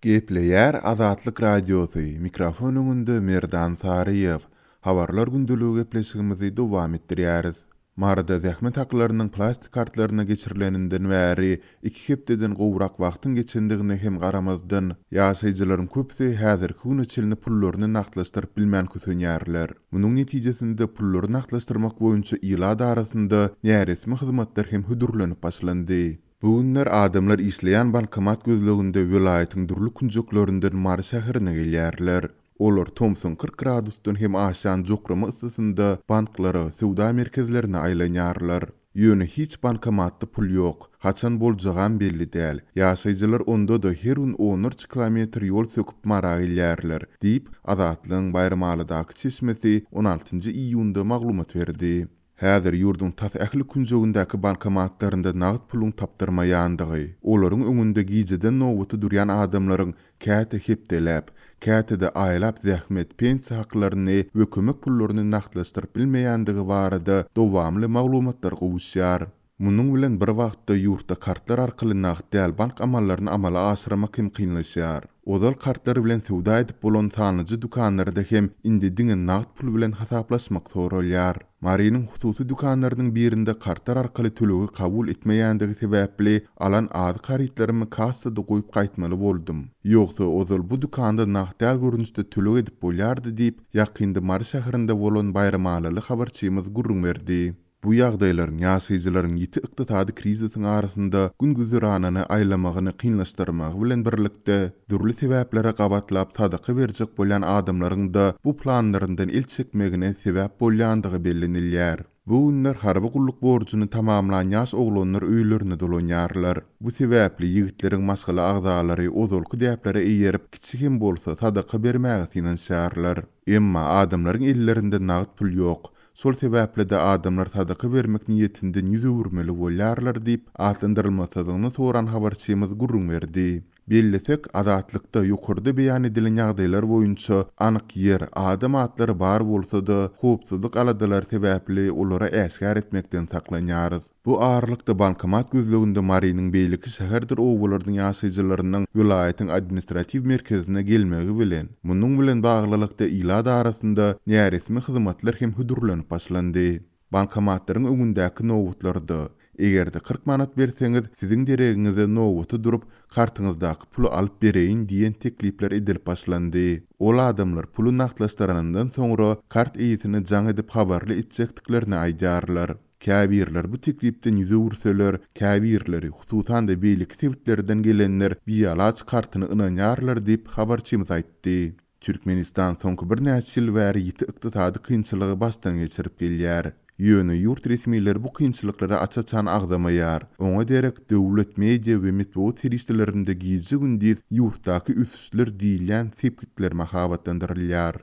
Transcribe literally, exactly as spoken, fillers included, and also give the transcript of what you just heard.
Gepleýär Azatlyk Radiosy, mikrofon öňünde Merdan Saryýew. Habarlar gündeligi gepleşigimizi dowam etdirýäris. Maryda zähmet haklarynyň plastik kartlaryna geçirileninden bäri iki hepdeden gowrak wagtyň geçendigine hem garamazdan, ýaşaýjylaryň köpüsi häzirki güne çenli pullaryny nagtlaşdyryp bilmän kösenýärler. Munuň netijesinde pullary nagtlaşdyrmak boýunça ilat arasynda näresmi hyzmatlar hem hödürlenip başlandy. Bu günler adamlar işleýän bankomat gözleginde welaýatyň dürli künjeklerinden Mary şäherine gelýärler. Olar tomsuň kyrk gradusdan hem aşan jokrama yssysynda banklara, söwda merkezlerine aýlanýarlar. Ýöne hiç bankomatda pul ýok. Haçan boljagam belli däl. Ýaşaýjylar onda-da her gün onlarça kilometr ýol söküp Mara gelýärler, diýip, Azatlygyň Baýramalydaky çeşmesi on altynjy iýunda maglumat berdi. Häzir ýurduň tas ähli künjegindäki bankomatlarynda nagt puluň tapdyrmaýandygy, olaryň öňünde gijeden nobata durýan adamlaryň käte hepdeläp, käte-de aýlap zähmet, pensiýa haklaryny we kömek pullaryny nagtlaşdyryp bilmeýändigi barada dowamly maglumatlar gowuşýar. Munuň bilen bir wagtda ýurtda kartlar arkaly nagt däl bank amallaryny amala aşyrmak hem kynlaşýar. Ozal kartlar bilen söwda edip bolan sanlyja dükanlarda hem indi diňe nagt pul bilen hasaplaşmak soralýar. Marynyň hususy dükanlarynyň birinde kartlar arkaly tölegi kabul etmeýändigi sebäpli alan azyk harytlarymy kassada goýup gaýtmaly boldum. Ýogsa ozal bu dükanda nagt däl görnüşde töleg edip bolýardy diýip, ýakynda Mary şäherinde bolan Baýramalyly habarçymyz gürrüň berdi. Bu ýagdaýlaryň ýaşaýjylaryň ýiti ykdysady krizisiň arasynda gün güzeranyny aýlamagyny kynlaşdyrmagy bilen birlikde dürli sebäplere gabatlap sadaka berjek bolýan adamlaryň da bu planlaryndan el çekmegine sebäp bolýandygy bellenilýär. Bu günler harby gulluk borjuny tamamlan ýaş oglanlar öýlerine dolanýarlar. Bu sebäpli ýigitleriň maşgala agzalary ozalky däplere eýerip, kiçi hem bolsa sadaka bermäge synanyşýarlar. Emma adamlaryň ellerinde nagt pul ýok. Şol sebäpli-de adamlar sadaka bermek niýetinden ýüz öwürmeli bolýarlar diýip, atlandyrylmasyzlygyny soran habarçymyz gürrüň berdi. Bellesek, Azatlykda ýokarda beýan edilen ýagdaýlar boýunça anyk ýer, adam atlary bar bolsa-da, howpsuzlyk aladalary sebäpli olara äşgär etmekden saklanýarys. Bu aralykda bankomat gözleginde Marynyň beýleki şäherdir obalarynyň ýaşaýjylarynyň welaýatyň administratiw merkezine gelmegi bilen, munuň bilen baglylykda ilat arasynda näresmi hyzmatlar hem hödürlenip başlandy. Bankomatlaryň öňündäki nobatlarda, eger-de kyrk manat berseňiz, siziň deregiňize nobata durup, kartyňyzdaky puly alyp bereýin diýen teklipler edilip başlandy. Ol adamlar puly nagtlaşdyranyndan soňra kart eýesine jaň edip habarly etjekdiklerini aýdýarlar. Käbirler bu teklipden ýüz öwürseler, käbirleri, hususan-da beýleki sebitlerden gelenler bialaç kartyny ynanýarlar diýip habarçymyz aýtdy. Türkmenistan soňky birnäçe ýyl bäri ýiti ykdysady kynçylygy başdan geçirip gelýär. Ýöne ýurt resmileri bu kynçylyklary aç-açan agzamaýar. Oňa derek döwlet media we metbugat serişdelerinde gije-gündiz ýurtdaky ösüşler diýilýän sepgitler mahabatlandyrylýar.